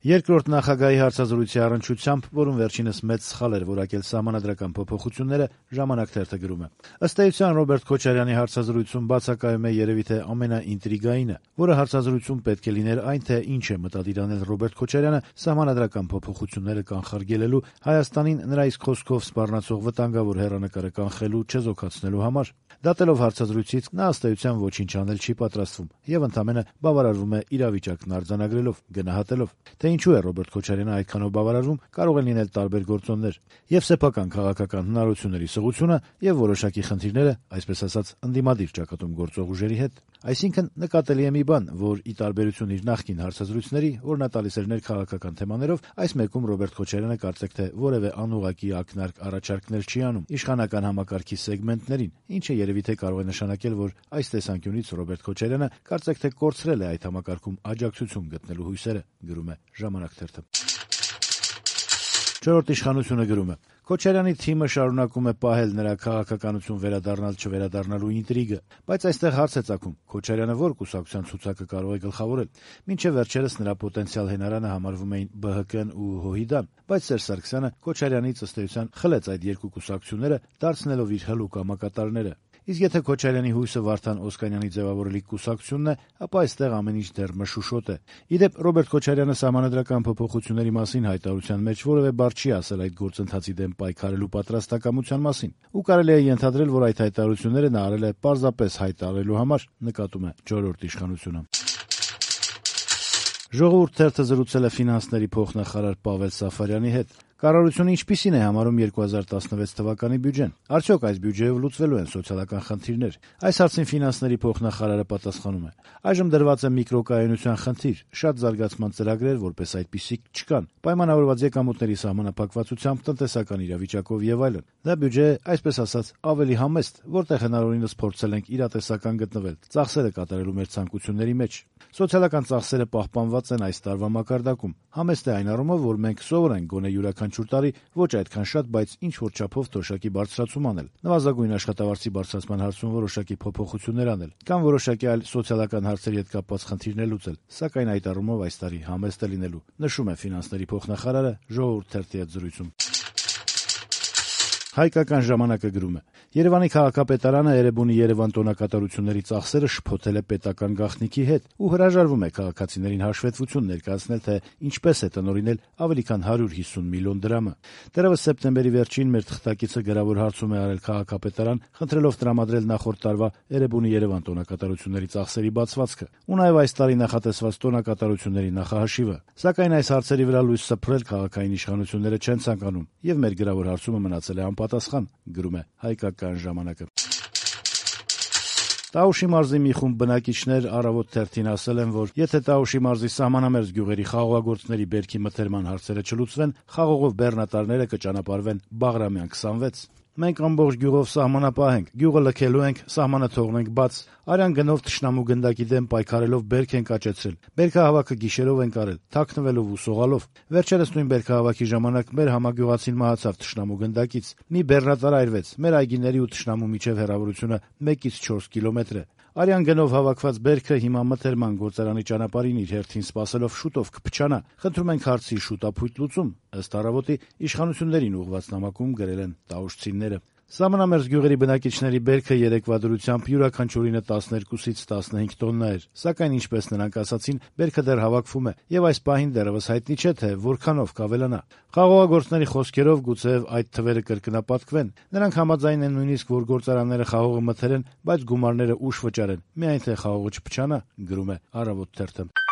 Երկրորդ նախագահի հարցազրույցի առնչությամբ, որում վերջինս մեծ սխալ էր որակել սահմանադրական փոփոխությունները, «Ժամանակ» թերթը գրում է. ըստ էության Ռոբերտ Քոչարյանի հարցազրույցում բացակայում է երևի թե ամենաինտրիգայինը, որը հարցազրույցում պետք է լիներ այն, թե ինչ է մտադիր անել Ռոբերտ Քոչարյանը սահմանադրական փոփոխությունները կանխարգելելու, Հայաստանին նրա իսկ խոսքով սպառնացող վտանգավոր հեռանկարը կանխելու, չեզոքացնելու համար։ Դատելով հարցազրույցից, նա ըստ էության ոչինչ անել չի պատրաստվում եւ ընդամենը բավարարվում է իրավիճակն արձանագրելով, գնահատելով։ Թե ինչու է Ռոբերտ Քոչարյանը այդքանով բավարարվում, կարող են լինել տարբեր գործոններ՝ եւ սեփական քաղաքական հնարավորությունների սղությունը, եւ որոշակի խնդիրները, այսպես ասած, ընդդիմադիր ճակատում գործող ուժերի հետ։ Այսինքն նկատելի է մի բան, որ ի տարբերություն իր նախկին հարցազրույցների, որ նա տալիս էր ներքաղաքական թեմաներով, այս մեկում Ռոբերտ Քոչարյանը կարծեք թե որևէ անուղղակի ակնարկ առաջարկներ չի անում իշխանական համակարգի սեգմենտներին, ինչը երևի թե կարող է նշանակել, որ այս տեսանկյունից Ռոբերտ Քոչարյանը կարծեք թե կորցրել է այդ համակարգում աջակցություն գտնելու հույսերը, գրում է «Ժամանակ» թերթը։ Չորրորդ իշխանությունը գրում է. Քոչարյանի թիմը շարունակում է պահել նրա քաղաքականություն վերադառնալ-չվերադառնալու ինտրիգը, բայց այստեղ հարց է ծագում. Քոչարյանը ո՞ր կուսակցության ցուցակը կարող է գլխավորել։ Մինչև վերջերս նրա պոտենցիալ հենարանը համարվում էին ԲՀԿ-ն ու ՀՅԴ-ն, բայց Սերժ Սարգսյանը Քոչարյանից ըստ էության խլեց այդ երկու կուսակցությունները, դարձնելով իր հլուկ համակատարները։ Իսկ եթե Քոչարյանի հույսը Վարդան Օսկանյանի ձևավորելիք կուսակցությունն է, ապա այստեղ ամեն ինչ դեռ մշուշոտ է։ Իդեպ Ռոբերտ Քոչարյանը սահմանադրական փոփոխությունների մասին հայտարարության մեջ որևէ բառ չի ասել այդ գործընթացի դեմ պայքարելու պատրաստակամության մասին, ու կարելի է ենթադրել, որ այդ հայտարարությունները նա արել է պարզապես հայտարարելու համար, նկատում է չորրորդ իշխանությունը։ Ժողովուրդ թերթը զրուցել է ֆինանսների փոխնախարար Պավել Սաֆարյանի հետ։ Կառավարությունը ինչպիսին է համարում 2016 թվականի բյուջեն։ Արդյոք այս բյուջեով լուծվելու են սոցիալական խնդիրներ։ Այս հարցին ֆինանսների փոխնախարարը պատասխանում է. այժմ դրված է միկրոկայունության խնդիր, շատ զարգացման ծրագրեր որպես այդպիսիք չկան, պայմանավորված եկամուտների սահմանափակվածությամբ, տնտեսական իրավիճակով եւ այլն։ Դա բյուջե է, այսպես ասած, ավելի համեստ, որտեղ հնարավորինս փորձել ենք իրատեսական գտնվել, ծախսերը կատարելու մեր ցանկությունների մեջ։ Սոցիալական ծախսերը պահպանված են այս տարվա մակարդակում։ Համեստ է այն առումով, որ մենք սովոր ենք գոնե յուրաքանչյուր տարի ոչ այդքան շատ, բայց ինչ որ չափով թոշակի բարձրացում անել, նվազագույն աշխատավարձի բարձրացման հարցում որոշակի փոփոխություններ անել, կամ որոշակի այլ սոցիալական հարցերի հետ կապված խնդիրներ լուծել, սակայն այդ առումով այս տարի համեստ է լինելու, նշում է ֆինանսների փոխնախարարը Ժողովուրդ թերթի հետ զրույցում։ Հայկական ժամանակը գրում է. Երևանի քաղաքապետարանը Էրեբունի Երևան տոնակատարությունների ծախսերը շփոթել է պետական գաղտնիքի հետ ու հրաժարվում է քաղաքացիներին հաշվետվություն ներկայացնել, թե ինչպես է տնօրինել ավելի քան 150 միլիոն դրամը։ Դեռևս սեպտեմբերի վերջին մեր թղթակիցը գրավոր հարցում է արել քաղաքապետարան, խնդրելով տրամադրել նախորդ տարվա Էրեբունի Երևան տոնակատարությունների ծախսերի բացվածքը ու նաև այս տարի նախատեսված տոնակատարությունների նախահաշիվը։ Սակայն այս հարցերի վրա լույս սփռել քաղաքային իշխանությունները չեն ցանկանում, եւ մեր գրավոր հարցումը մնացել է անպատասխան, գրում է Հայկական ժամանակը։ Տաուշի մարզի մի խումբ բնակիչներ Առավոտ թերթին ասել են, որ եթե Տաուշի մարզի սահմանամերձ գյուղերի խաղողագործների բերքի մթերման հարցերը չլուծվեն, խաղողով բեռնատարները կճանապարհվեն Բաղրամյան 26։ Մենք ամբողջ գյուղով սահմանապահ ենք, գյուղը լքելու ենք, սահմանը թողնենք բաց, արյան գնով թշնամու գնդակի դեմ պայքարելով բերք ենք աճեցրել, բերքահավաքը գիշերով ենք արել, թաքնվելով ու սողալով։ Վերջերս նույն բերքահավաքի ժամանակ մեր համագյուղացին մահացավ թշնամու գնդակից։ Մի բեռնատար այրվեց, մեր այգիների ու թշնամու միջև հեռավորությունը 1-ից 4 կիլոմետր է։ Արյան գնով հավաքված բերքը հիմա մթերման գործարանի ճանապարհին իր հերթին սպասելով շուտով կփչանա։ Խնդրում ենք հարցի շուտապույտ լուծում, ըստ Առավոտի իշխանություններին ուղղված նամակում գրել են տաուշցիները։ Սահմանամերձ գյուղերի բնակիչների բերքը երեկվա դրությամբ յուրաքանչյուրինը 12-ից 15 տոննա էր, սակայն ինչպես նրանք ասացին, բերքը դեռ հավաքվում է եւ այս պահին դեռևս հայտնի չէ, թե որքանով կավելանա։ Խաղողագործների խոսքերով գուցեև այդ թվերը կրկնապատկվեն։ Նրանք համաձայն են նույնիսկ, որ գործարանները խաղողը մթերեն, բայց գումարները ուշ վճարեն, միայն թե խաղողը չփչանա, գրում է Առավոտ թերթը։